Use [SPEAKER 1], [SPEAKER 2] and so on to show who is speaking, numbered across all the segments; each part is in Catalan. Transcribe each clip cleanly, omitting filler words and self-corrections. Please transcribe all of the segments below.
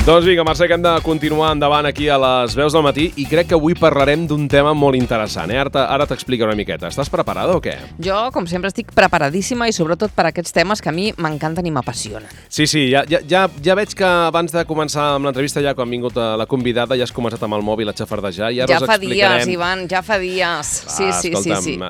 [SPEAKER 1] Doncs vinga, Mercè, que hem de continuar endavant aquí a les veus del matí i crec que avui parlarem d'un tema molt interessant. Ara t'explico una miqueta. Estàs preparada o què?
[SPEAKER 2] Jo, com sempre, estic preparadíssima i sobretot per aquests temes que a mi m'encanten i m'apassionen.
[SPEAKER 1] Sí, ja veig que abans de començar amb l'entrevista, ja quan ha vingut la convidada, ja has començat amb el mòbil a xafardejar.
[SPEAKER 2] Ja fa dies, Ivan, ja fa dies. Sí.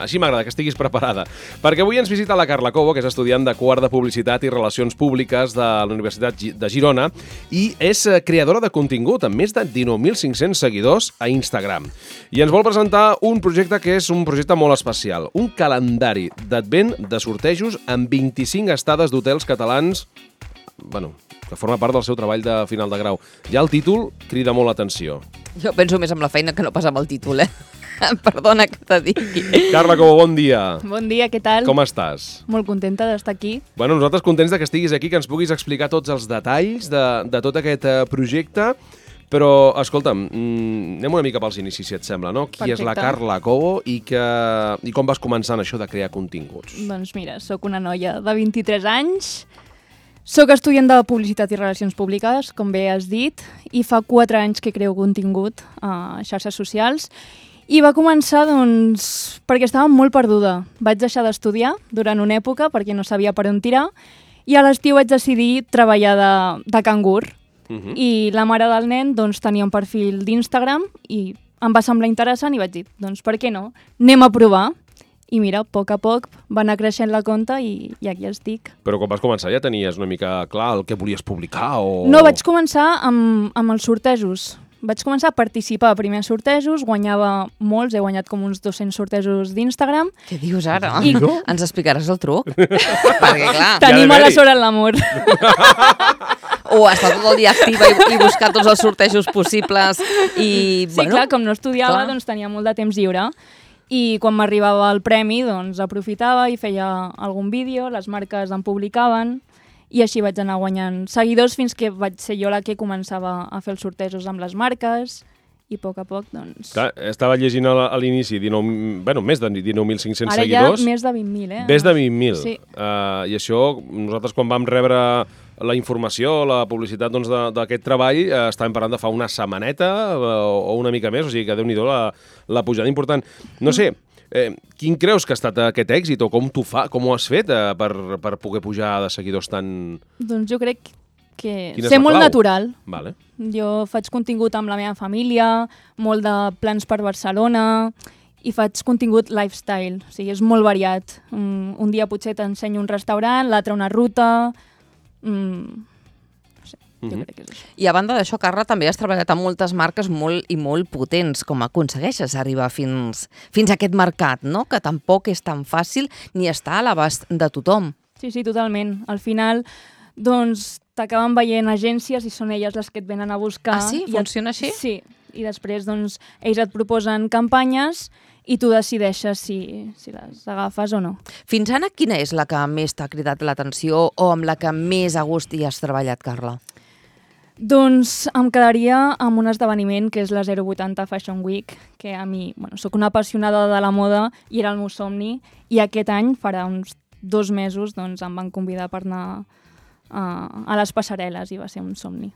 [SPEAKER 1] Així m'agrada que estiguis preparada. Perquè avui ens visita la Carla Cobo, que és estudiant de quart de Publicitat i Relacions Públiques de la Universitat de Girona i és creadora de contingut amb més de 19.500 seguidors a Instagram. I ens vol presentar un projecte que és un projecte molt especial, un calendari d'advent de sortejos amb 25 estades d'hotels catalans, que forma part del seu treball de final de grau. Ja el títol crida molt l'atenció.
[SPEAKER 2] Jo penso més amb la feina que no pas amb el títol, Perdona que te digui.
[SPEAKER 1] Carla Cobo, bon dia.
[SPEAKER 3] Bon dia, què tal?
[SPEAKER 1] Com estàs?
[SPEAKER 3] Molt contenta d'estar aquí.
[SPEAKER 1] Nosaltres contents que estiguis aquí, que ens puguis explicar tots els detalls de tot aquest projecte, però, escolta'm, anem una mica pels inicis, si et sembla, no? Qui és la Carla Cobo i com vas començar en això de crear continguts?
[SPEAKER 3] Doncs mira, sóc una noia de 23 anys, sóc estudiant de Publicitat i Relacions Públiques, com bé has dit, i fa 4 anys que creo contingut a xarxes socials. I va començar, doncs, perquè estava molt perduda. Vaig deixar d'estudiar durant una època perquè no sabia per on tirar i a l'estiu vaig decidir treballar de cangur. I la mare del nen doncs, tenia un perfil d'Instagram i em va semblar interessant i vaig dir, doncs per què no? Anem a provar. I mira, a poc va anar creixent la compte i aquí estic.
[SPEAKER 1] Però quan vas començar ja tenies una mica clar el que volies publicar o...
[SPEAKER 3] No, vaig començar amb els sortejos. Vaig començar a participar a primers sortejos, guanyava molts, he guanyat com uns 200 sortejos d'Instagram.
[SPEAKER 2] Què dius ara? Ens explicaràs el truc? Perquè, clar...
[SPEAKER 3] Tenim a la sort en l'amor.
[SPEAKER 2] O estar tot el dia activa i buscar tots els sortejos possibles i...
[SPEAKER 3] Sí, clar, com no estudiava, doncs tenia molt de temps lliure. I quan m'arribava el premi, doncs aprofitava i feia algun vídeo, les marques em publicaven... I així vaig anar guanyant seguidors fins que vaig ser jo la que començava a fer els sortejos amb les marques i a poc, doncs...
[SPEAKER 1] Clar, estava llegint a l'inici més de 19.500 seguidors.
[SPEAKER 3] Ara ja més de 20.000,
[SPEAKER 1] Més de 20.000.
[SPEAKER 3] Sí.
[SPEAKER 1] I això, nosaltres quan vam rebre la informació, la publicitat d'aquest treball, estàvem parlant de fa una setmaneta o una mica més, o sigui que Déu-n'hi-do la pujada important. No sé... quin creus que ha estat aquest èxit o com ho has fet per poder pujar de seguidors tan...
[SPEAKER 3] Doncs jo crec que ser molt natural.
[SPEAKER 1] Vale.
[SPEAKER 3] Jo faig contingut amb la meva família, molt de plans per Barcelona i faig contingut lifestyle, o sigui, és molt variat. Un dia potser t'ensenyo un restaurant, l'altre una ruta... Jo crec que és això.
[SPEAKER 2] I a banda d'això, Carla, també has treballat amb moltes marques molt potents. Com aconsegueixes arribar fins a aquest mercat, no? Que tampoc és tan fàcil ni està a l'abast de tothom.
[SPEAKER 3] Sí, totalment. Al final, doncs, t'acaben veient agències i són elles les que et venen a buscar.
[SPEAKER 2] Ah, sí? Funciona així?
[SPEAKER 3] Sí. I després, doncs, ells et proposen campanyes i tu decideixes si les agafes o no.
[SPEAKER 2] Fins ara, quina és la que més t'ha cridat l'atenció o amb la que més a gust hi has treballat, Carla?
[SPEAKER 3] Doncs em quedaria amb un esdeveniment que és la 080 Fashion Week, que a mi, soc una apassionada de la moda i era el meu somni, i aquest any, farà uns 2 mesos, doncs em van convidar per anar a les passarel·les i va ser un somni.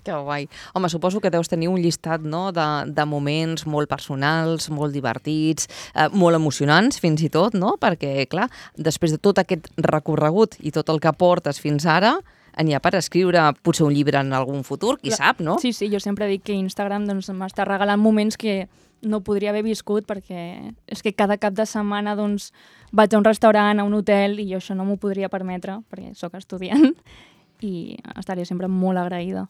[SPEAKER 2] Que guai. Home, suposo que deus tenir un llistat, no?, de moments molt personals, molt divertits, molt emocionants fins i tot, no? Perquè, clar, després de tot aquest recorregut i tot el que portes fins ara, n'hi ha per escriure potser un llibre en algun futur, qui sap, no?
[SPEAKER 3] Sí, jo sempre dic que Instagram doncs, m'està regalant moments que no podria haver viscut perquè és que cada cap de setmana doncs, vaig a un restaurant, a un hotel i jo això no m'ho podria permetre perquè sóc estudiant i estaria sempre molt agraïda.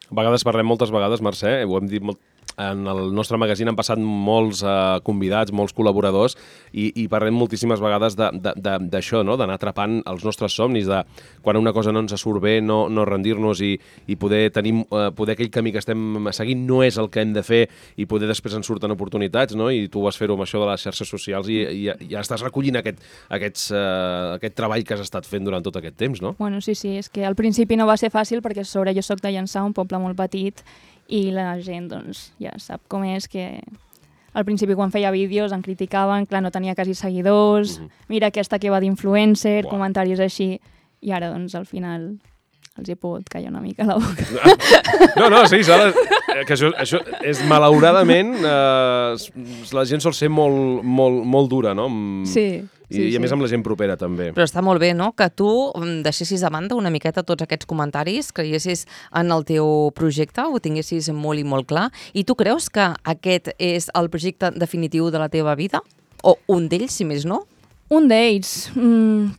[SPEAKER 1] A vegades parlem moltes vegades, Mercè, ho hem dit molt... En el nostre magazín han passat molts convidats, molts col·laboradors i parlem moltíssimes vegades d'això, no? D'anar atrapant els nostres somnis, de quan una cosa no ens surt bé, no rendir-nos i poder aquell camí que estem seguint no és el que hem de fer i poder després ens surten oportunitats, no? I tu vas fer-ho amb això de les xarxes socials i ja estàs recollint aquest treball que has estat fent durant tot aquest temps, no?
[SPEAKER 3] Bueno, sí, és que al principi no va ser fàcil perquè a sobre jo soc de Llançà, un poble molt petit, i la gent doncs, ja sap com és que al principi quan feia vídeos em criticaven, clar, no tenia quasi seguidors, mira aquesta que va d'influencer, comentaris així, i ara doncs al final els he pogut callar una mica la boca.
[SPEAKER 1] No, sí, que això és malauradament, la gent sol ser molt dura, no?
[SPEAKER 3] Sí.
[SPEAKER 1] I a més amb la gent propera també.
[SPEAKER 2] Però està molt bé, no?, que tu deixessis a banda una miqueta tots aquests comentaris, creiessis en el teu projecte, ho tinguessis molt i molt clar. I tu creus que aquest és el projecte definitiu de la teva vida? O un d'ells, si més no?
[SPEAKER 3] Un d'ells.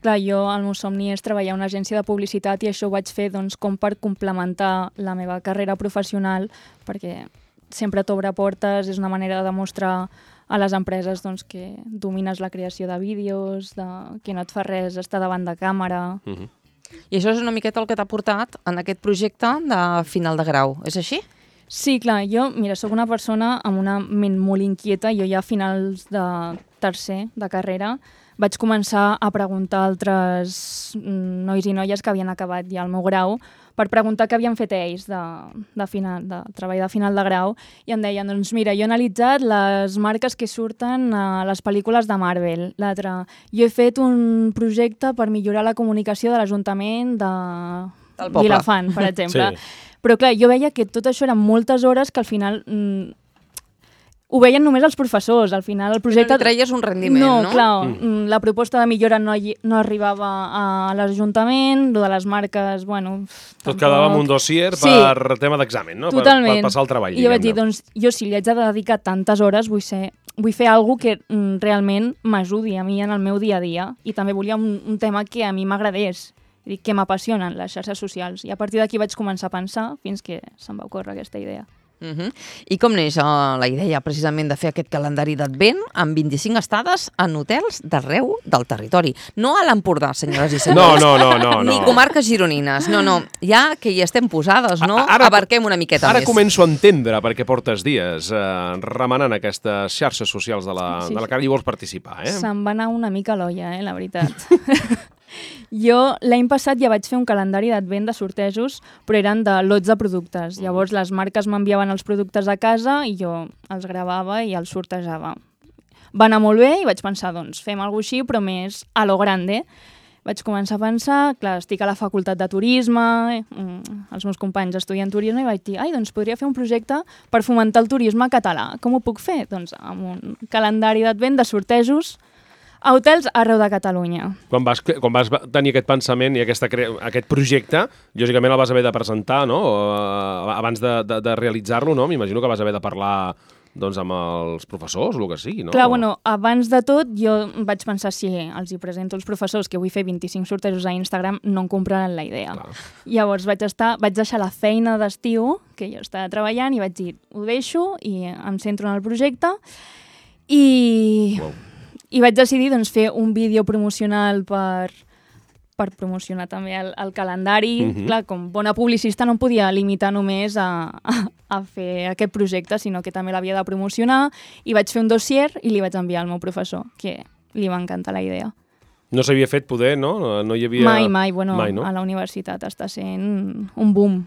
[SPEAKER 3] Clar, jo el meu somni és treballar a una agència de publicitat i això ho vaig fer doncs, com per complementar la meva carrera professional, perquè sempre t'obre portes, és una manera de demostrar a les empreses doncs, que domines la creació de vídeos, que no et fa res estar davant de càmera.
[SPEAKER 2] I això és una miqueta el que t'ha portat en aquest projecte de final de grau, és així?
[SPEAKER 3] Sí, clar, jo, mira, sóc una persona amb una ment molt inquieta. Jo ja a finals de tercer de carrera vaig començar a preguntar a altres nois i noies que havien acabat ja el meu grau per preguntar què havien fet ells de treball de final de grau, i em deien, doncs mira, jo he analitzat les marques que surten a les pel·lícules de Marvel. L'altre, jo he fet un projecte per millorar la comunicació de l'Ajuntament de Vilafant, per exemple. Sí. Però clar, jo veia que tot això eren moltes hores que al final ho veien només els professors. Al final el projecte...
[SPEAKER 2] No treies un rendiment, no?
[SPEAKER 3] No, clar, la proposta de millora no arribava a l'Ajuntament, lo de les marques, bueno...
[SPEAKER 1] Tot quedava amb un dossier per tema d'examen, no?
[SPEAKER 3] Totalment.
[SPEAKER 1] Per passar el treball,
[SPEAKER 3] I jo vaig dir, doncs, jo si li haig de dedicar tantes hores vull fer alguna que realment m'ajudi a mi en el meu dia a dia, i també volia un tema que a mi m'agradés, que m'apassionen les xarxes socials, i a partir d'aquí vaig començar a pensar fins que se'm va ocórrer aquesta idea.
[SPEAKER 2] I com neix la idea precisament de fer aquest calendari d'advent amb 25 estades en hotels d'arreu del territori? No a l'Empordà, senyores i senyors.
[SPEAKER 1] No.
[SPEAKER 2] Ni comarques gironines. No, ja que hi estem posades, no? Abarquem una miqueta més.
[SPEAKER 1] Ara començo a entendre per què portes dies remenant aquestes xarxes socials de la cara i vols participar, eh?
[SPEAKER 3] Se'm va anar una mica l'olla, la veritat. Jo l'any passat ja vaig fer un calendari d'advent de sortejos, però eren de lots de productes. Llavors les marques m'enviaven els productes a casa i jo els gravava i els sortejava. Va anar molt bé i vaig pensar, doncs, fem alguna cosa així, però més a lo grande. Vaig començar a pensar, clar, estic a la facultat de turisme, els meus companys estudien turisme, i vaig dir, doncs podria fer un projecte per fomentar el turisme català. Com ho puc fer? Doncs amb un calendari d'advent de sortejos a hotels arreu de Catalunya.
[SPEAKER 1] Quan vas tenir aquest pensament i aquest projecte, lògicament el vas haver de presentar, no? Abans de realitzar-lo, no? M'imagino que vas haver de parlar doncs, amb els professors o el que sigui, no?
[SPEAKER 3] Clar, bueno, abans de tot jo vaig pensar, si els hi presento als professors que vull fer 25 sortejos a Instagram, no em compraran la idea. Clar. Llavors vaig deixar la feina d'estiu que jo estava treballant i vaig dir, ho deixo i em centro en el projecte i vaig decidir doncs, fer un vídeo promocional per promocionar també el calendari. Clar, com bona publicista no em podia limitar només a fer aquest projecte, sinó que també l'havia de promocionar, i vaig fer un dossier i li vaig enviar al meu professor, que li va encantar la idea.
[SPEAKER 1] No s'havia fet poder, no? No hi havia...
[SPEAKER 3] Mai, bueno, no? A la universitat està sent un boom.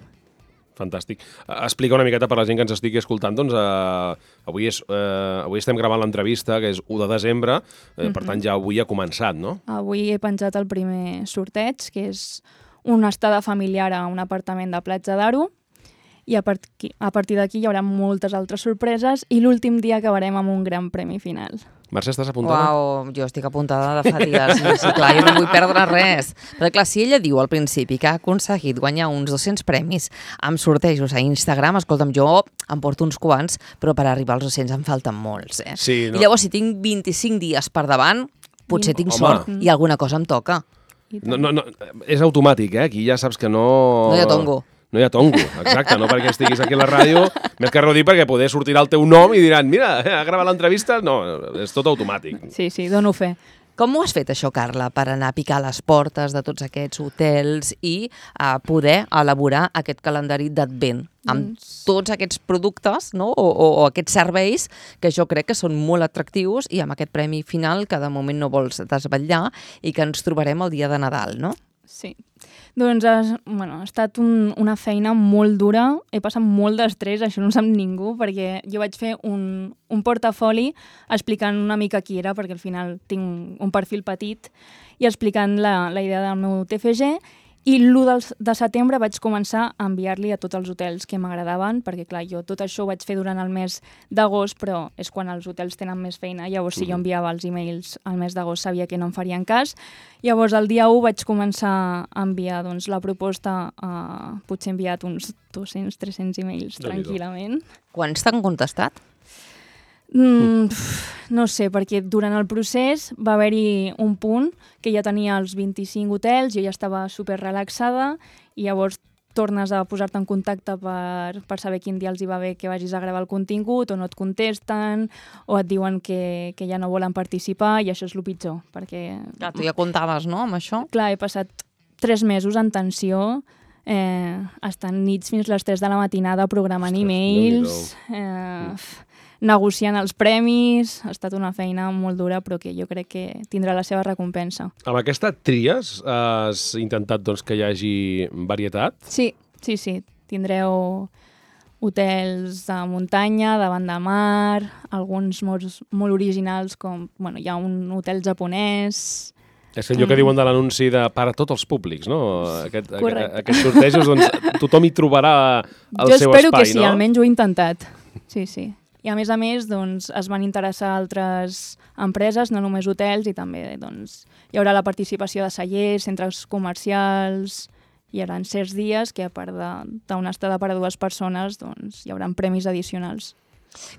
[SPEAKER 1] Fantàstic. Explica una miqueta per la gent que ens estigui escoltant, doncs avui estem gravant l'entrevista, que és 1 de desembre, per tant ja avui ha començat, no?
[SPEAKER 3] Avui he penjat el primer sorteig, que és una estada familiar a un apartament de Platja d'Aro, i a partir d'aquí hi haurà moltes altres sorpreses i l'últim dia acabarem amb un gran premi final.
[SPEAKER 1] Mercè, estàs apuntada?
[SPEAKER 2] Uau, jo estic apuntada de fa dies. Sí, clar, jo no vull perdre res. Però clar, si ella diu al principi que ha aconseguit guanyar uns 200 premis amb sortejos a Instagram, escolta'm, jo em porto uns quants, però per arribar als 200 em falten molts, eh?
[SPEAKER 1] Sí, no?
[SPEAKER 2] I llavors, si tinc 25 dies per davant, potser tinc sort i alguna cosa em toca.
[SPEAKER 1] No, és automàtic, eh? Aquí ja saps que no...
[SPEAKER 2] No hi ha tongo.
[SPEAKER 1] No hi ha tongo, exacte, no perquè estiguis aquí a la ràdio, més que res dir perquè poder sortirà el teu nom i diran, mira, ha gravat l'entrevista, no, és tot automàtic.
[SPEAKER 3] Sí, dono fe.
[SPEAKER 2] Com ho has fet això, Carla, per anar a picar les portes de tots aquests hotels i poder elaborar aquest calendari d'advent amb tots aquests productes, no? o aquests serveis que jo crec que són molt atractius i amb aquest premi final que de moment no vols desvetllar i que ens trobarem el dia de Nadal, no?
[SPEAKER 3] Sí. Doncs ha estat una feina molt dura, he passat molt d'estrès, això no ho sap ningú, perquè jo vaig fer un portafoli explicant una mica qui era, perquè al final tinc un perfil petit, i explicant la idea del meu TFG, I l'1 de setembre vaig començar a enviar-li a tots els hotels que m'agradaven, perquè clar, jo tot això ho vaig fer durant el mes d'agost, però és quan els hotels tenen més feina. Llavors, si jo enviava els e-mails al mes d'agost, sabia que no em farien cas. Llavors, el dia 1 vaig començar a enviar la proposta, potser he enviat uns 200-300 e-mails tranquil·lament.
[SPEAKER 2] Quants t'han contestat?
[SPEAKER 3] No sé, perquè durant el procés va haver-hi un punt que ja tenia els 25 hotels, jo ja estava super relaxada i llavors tornes a posar-te en contacte per saber quin dia els hi va bé que vagis a gravar el contingut o no et contesten o et diuen que ja no volen participar i això és el pitjor, perquè...
[SPEAKER 2] Clar, tu ja comptaves, no?, amb això?
[SPEAKER 3] Clar, he passat 3 mesos en tensió, estant nits fins les 3 de la matinada programant e-mails, negociant els premis. Ha estat una feina molt dura, però que jo crec que tindrà la seva recompensa.
[SPEAKER 1] Amb aquesta tries has intentat que hi hagi varietat?
[SPEAKER 3] Sí. Tindreu hotels de muntanya, davant de mar, alguns molt originals, com hi ha un hotel japonès...
[SPEAKER 1] És allò que diuen de l'anunci de per a tots els públics, no? Aquests sortejos, tothom hi trobarà el seu espai, no?
[SPEAKER 3] Jo espero que sí, almenys ho he intentat. Sí. I a més, es van interessar altres empreses, no només hotels, i també hi haurà la participació de cellers, centres comercials, hi haurà certs dies que a part d'una estada per a 2 persones hi haurà premis addicionals.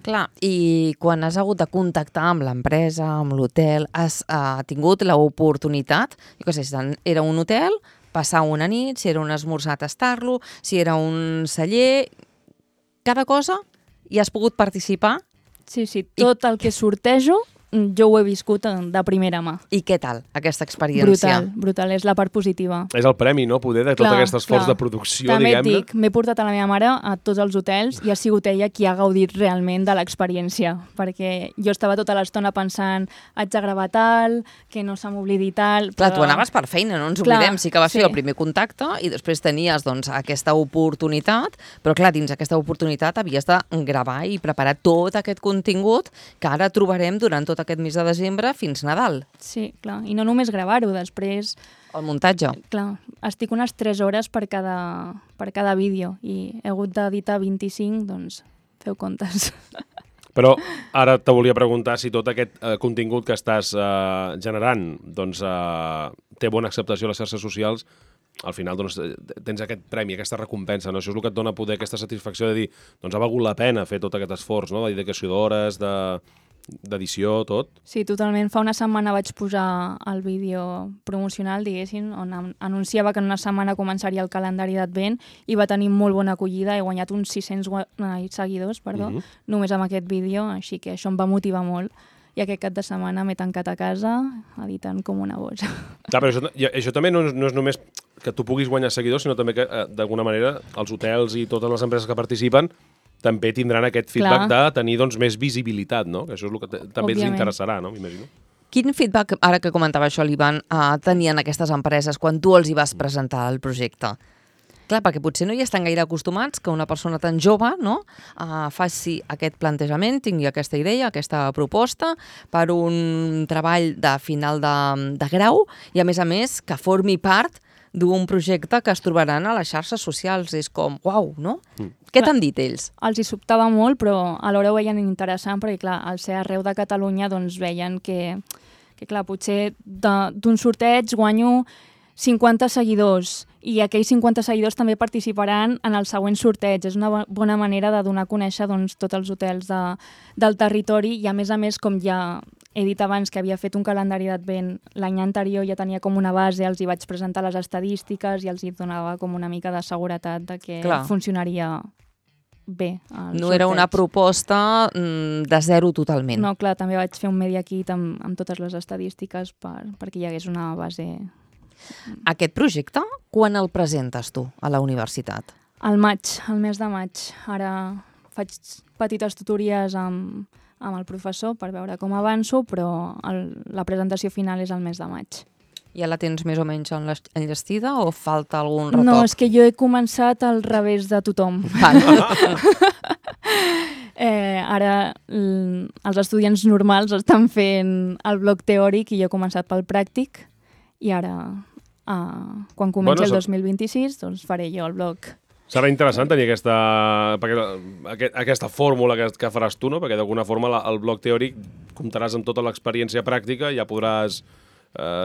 [SPEAKER 2] Clar, i quan has hagut de contactar amb l'empresa, amb l'hotel, has tingut l'oportunitat, jo què sé, si era un hotel, passar una nit, si era un esmorzar, tastar-lo, si era un celler, cada cosa, i has pogut participar?
[SPEAKER 3] Sí, tot el que sortejo jo ho he viscut de primera mà.
[SPEAKER 2] I què tal, aquesta experiència?
[SPEAKER 3] Brutal, és la part positiva.
[SPEAKER 1] És el premi, no?, poder de tot aquest esforç de producció,
[SPEAKER 3] també
[SPEAKER 1] diguem-ne.
[SPEAKER 3] També et dic, m'he portat a la meva mare a tots els hotels i ha sigut ella qui ha gaudit realment de l'experiència, perquè jo estava tota l'estona pensant haig de gravar tal, que no se m'oblidi tal...
[SPEAKER 2] Clar, tu anaves per feina, no ens oblidem, sí que va ser el primer contacte i després tenies aquesta oportunitat, però clar, dins aquesta oportunitat havies de gravar i preparar tot aquest contingut que ara trobarem durant tot aquest mes de desembre fins Nadal.
[SPEAKER 3] Sí, clar, i no només gravar-ho, després...
[SPEAKER 2] El muntatge.
[SPEAKER 3] Clar, estic unes 3 hores per cada vídeo i he hagut d'editar 25, feu comptes.
[SPEAKER 1] Però ara te volia preguntar si tot aquest contingut que estàs generant té bona acceptació a les xarxes socials. Al final tens aquest premi, aquesta recompensa, no? Això és el que et dona poder aquesta satisfacció de dir ha valgut la pena fer tot aquest esforç, no?, de dedicació d'hores, d'edició, tot.
[SPEAKER 3] Sí, totalment. Fa una setmana vaig posar el vídeo promocional, diguéssim, on anunciava que en una setmana començaria el calendari d'Advent i va tenir molt bona acollida. He guanyat uns 600 seguidors, només amb aquest vídeo, així que això em va motivar molt. I aquest cap de setmana m'he tancat a casa editant com una boja.
[SPEAKER 1] Clar, però això també no és només que tu puguis guanyar seguidors, sinó també que, d'alguna manera, els hotels i totes les empreses que participen també tindran aquest feedback de tenir més visibilitat, no? Que això és el que també els interessarà, no? M'imagino.
[SPEAKER 2] Quin feedback, ara que comentava això l'Ivan, tenien aquestes empreses quan tu els hi vas presentar el projecte? Clar, perquè potser no hi estan gaire acostumats que una persona tan jove faci aquest plantejament, tingui aquesta idea, aquesta proposta per un treball de final de grau i, a més, que formi part d'un projecte que es trobaran a les xarxes socials. És com, uau, no? Què t'han dit ells?
[SPEAKER 3] Els hi sobtava molt, però alhora ho veien interessant perquè, clar, al ser arreu de Catalunya, veien que clar, potser d'un sorteig guanyo 50 seguidors i aquells 50 seguidors també participaran en el següent sorteig. És una bona manera de donar a conèixer tots els hotels del territori i, a més, com ja he dit abans que havia fet un calendari d'Advent l'any anterior, ja tenia com una base, els hi vaig presentar les estadístiques i els hi donava com una mica de seguretat de que funcionaria bé.
[SPEAKER 2] No era una proposta de zero totalment.
[SPEAKER 3] No, clar, també vaig fer un media kit amb totes les estadístiques perquè hi hagués una base.
[SPEAKER 2] Aquest projecte, quan el presentes tu a la universitat?
[SPEAKER 3] Al mes de maig. Ara faig petites tutories amb el professor per veure com avanço, però la presentació final és al mes de maig.
[SPEAKER 2] Ja la tens més o menys enllestida o falta algun retoc?
[SPEAKER 3] No, és que jo he començat al revés de tothom. Ara els estudiants normals estan fent el bloc teòric i jo he començat pel pràctic i ara quan comenci el 2026, doncs faré jo el blog.
[SPEAKER 1] Serà interessant tenir aquesta fórmula que faràs tu, no? Perquè d'alguna forma el blog teòric comptaràs amb tota l'experiència pràctica i ja podràs...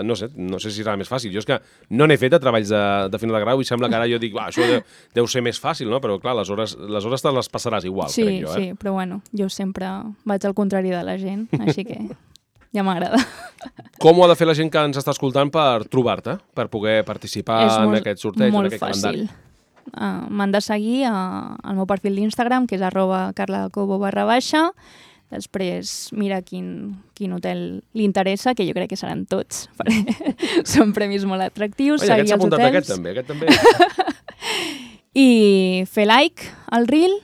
[SPEAKER 1] no sé si serà més fàcil. Jo és que no n'he fet de treballs de final de grau i sembla que ara jo dic, això deu ser més fàcil, no? Però clar, les hores te les passaràs igual, crec jo.
[SPEAKER 3] Sí, però bueno, jo sempre vaig al contrari de la gent, així que ja m'agrada.
[SPEAKER 1] Com ho ha de fer la gent que ens està escoltant per trobar-te, per poder participar en aquest sorteig, en aquest calendari?
[SPEAKER 3] És molt fàcil. M'han de seguir al meu perfil d'Instagram, que és @carlacobo_. Després mira quin hotel li interessa, que jo crec que seran tots, perquè són premis molt atractius.
[SPEAKER 1] Oi, aquest s'ha apuntat aquest també.
[SPEAKER 3] I fer like al reel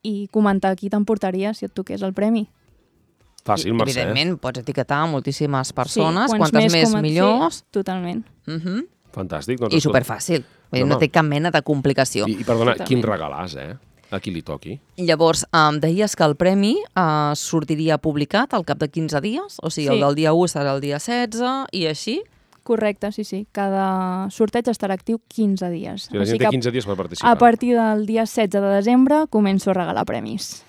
[SPEAKER 3] i comentar qui t'emportaria si et toqués el premi.
[SPEAKER 1] Fàcil, Mercè.
[SPEAKER 2] Evidentment, pots etiquetar moltíssimes persones, quantes més millors.
[SPEAKER 3] Sí, totalment.
[SPEAKER 1] Fantàstic.
[SPEAKER 2] I superfàcil. No té cap mena de complicació.
[SPEAKER 1] I perdona, quin regalàs, a qui li toqui.
[SPEAKER 2] Llavors, deies que el premi sortiria publicat al cap de 15 dies, o sigui, el del dia 1 serà el dia 16 i així?
[SPEAKER 3] Correcte, sí. Cada sorteig estarà actiu 15 dies.
[SPEAKER 1] La gent té 15 dies per participar.
[SPEAKER 3] A partir del dia 16 de desembre començo a regalar premis.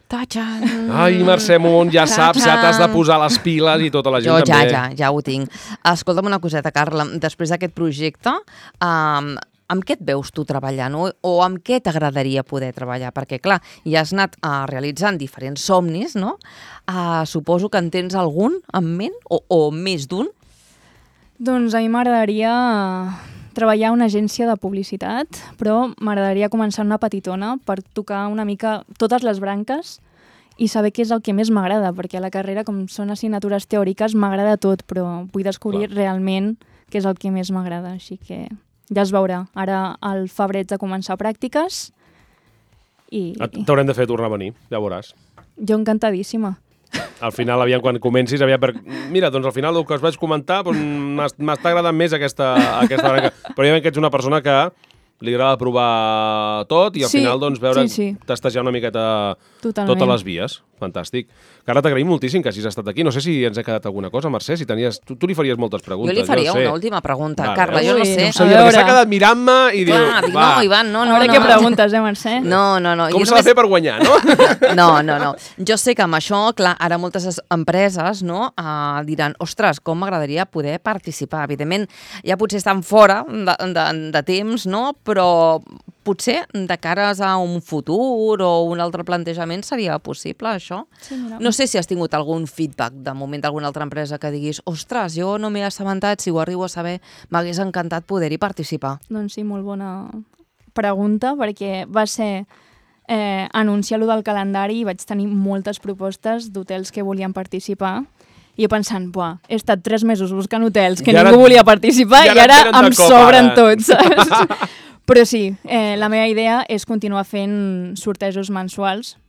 [SPEAKER 2] Tachan!
[SPEAKER 1] Ai, Mercè Munt, ja saps, ja t'has de posar les piles i tota la gent també.
[SPEAKER 2] Ja ho tinc. Escolta'm una coseta, Carla, després d'aquest projecte, amb què et veus tu treballant o amb què t'agradaria poder treballar? Perquè, clar, ja has anat realitzant diferents somnis, no? Suposo que en tens algun en ment o més d'un?
[SPEAKER 3] Doncs a mi m'agradaria treballar a una agència de publicitat, però m'agradaria començar una petitona per tocar una mica totes les branques i saber què és el que més m'agrada, perquè a la carrera, com són assignatures teòriques, m'agrada tot, però vull descobrir realment què és el que més m'agrada, així que ja es veurà. Ara al febrer de començar pràctiques i...
[SPEAKER 1] T'haurem de fer tornar a venir, ja veuràs.
[SPEAKER 3] Jo encantadíssima.
[SPEAKER 1] Al final, quan comencis, mira, doncs al final el que us vaig comentar m'està agradant més aquesta branca. Però ja que ets una persona que li agrada provar tot i al final doncs veure tastejar una miqueta totes les vies. Fantàstic. Carla, t'agraïm moltíssim que hagis estat aquí. No sé si ens ha quedat alguna cosa, Mercè, si tenies... Tu li faries moltes preguntes.
[SPEAKER 2] Jo li faria una última pregunta. Carla, jo no sé.
[SPEAKER 1] Perquè s'ha quedat mirant-me i diu...
[SPEAKER 2] No, Ivan, no.
[SPEAKER 3] A veure què preguntes, Mercè?
[SPEAKER 2] No.
[SPEAKER 1] Com s'ha de fer per guanyar, no?
[SPEAKER 2] No. Jo sé que amb això, clar, ara moltes empreses diran, ostres, com m'agradaria poder participar. Evidentment, ja potser estan fora de temps, no? Però potser de cares a un futur o un altre plantejament seria possible, això?
[SPEAKER 3] Sí,
[SPEAKER 2] no sé si has tingut algun feedback de moment d'alguna altra empresa que diguis, ostres, jo no m'he assabentat, si ho arribo a saber, m'hagués encantat poder-hi participar.
[SPEAKER 3] Doncs sí, molt bona pregunta, perquè va ser anunciar allò del calendari i vaig tenir moltes propostes d'hotels que volien participar. I jo pensant, he estat 3 mesos buscant hotels que ningú volia participar i ara em sobren tots, saps? Però sí, la meva idea és continuar fent sortejos mensuals,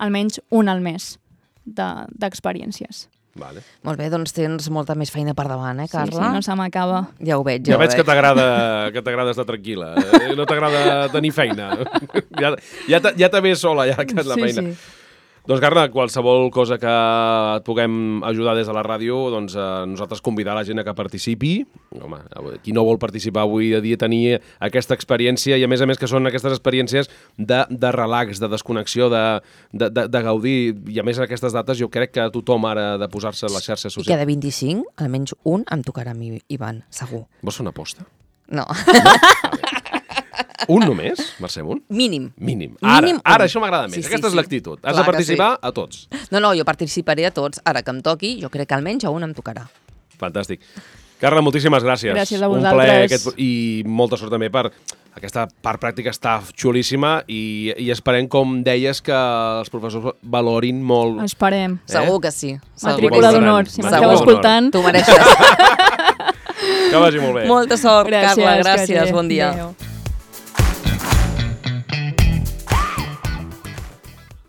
[SPEAKER 3] almenys un al mes d'experiències.
[SPEAKER 1] Vale.
[SPEAKER 2] Molt bé, doncs tens molta més feina per davant, Carla?
[SPEAKER 3] Sí, no se m'acaba.
[SPEAKER 2] Ja ho veig,
[SPEAKER 1] ja veig que t'agrada estar tranquil·la, no t'agrada tenir feina. Ja te ve sola, ja que és la feina.
[SPEAKER 3] Sí.
[SPEAKER 1] Doncs, Carla, qualsevol cosa que et puguem ajudar des de la ràdio, doncs nosaltres convidar la gent a que participi. Home, qui no vol participar avui a dia tenir aquesta experiència i, a més que són aquestes experiències de relax, de desconnexió, de gaudir. I, a més, aquestes dates jo crec que tothom ara ha de posar-se a les xarxes socials.
[SPEAKER 2] I cada 25, almenys un, em tocarà a mi, Ivan, segur.
[SPEAKER 1] Vols fer una aposta?
[SPEAKER 2] No.
[SPEAKER 1] Un només, Mercè Munt?
[SPEAKER 2] Mínim.
[SPEAKER 1] Ara això m'agrada més. Aquesta és l'actitud. Has de participar a tots.
[SPEAKER 2] No, jo participaré a tots. Ara que em toqui, jo crec que almenys a un em tocarà.
[SPEAKER 1] Fantàstic. Carla, moltíssimes gràcies.
[SPEAKER 3] Gràcies a vosaltres.
[SPEAKER 1] Un plaer i molta sort també per aquesta part pràctica, està xulíssima i esperem, com deies, que els professors valorin molt.
[SPEAKER 3] Esperem.
[SPEAKER 2] Segur que sí.
[SPEAKER 3] Matrícula d'honor, si m'esteu escoltant.
[SPEAKER 2] Tu mereixes.
[SPEAKER 1] Que vagi molt bé.
[SPEAKER 2] Molta sort, Carla. Gràcies. Bon dia.
[SPEAKER 3] Adéu.